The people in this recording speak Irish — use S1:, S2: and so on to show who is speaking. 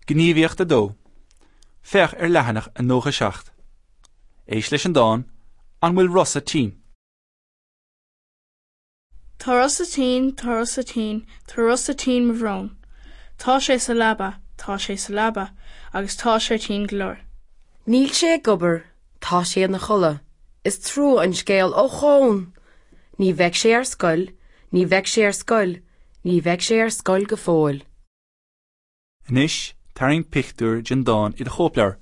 S1: Gníomhaíocht 2. Féach ar leathanach 97. Éist leis an dán, An bhfuil Rosa tinn?
S2: Tá Rosa tinn, tá Rosa tinn, tá Rosa tinn mo bhrón. Tá sé sa leaba, tá sé sa leaba, agus tá sé tinn go leor.
S3: Níl sé ag obair, tá sé ina chodladh. Is trua an scéal, ochón! Ní bheidh sé ar scoil, ní bheidh sé ar scoil, ní bheidh sé ar scoil go fóill.
S1: Anois, tarraing pictiúr den dán i do chóipleabhar.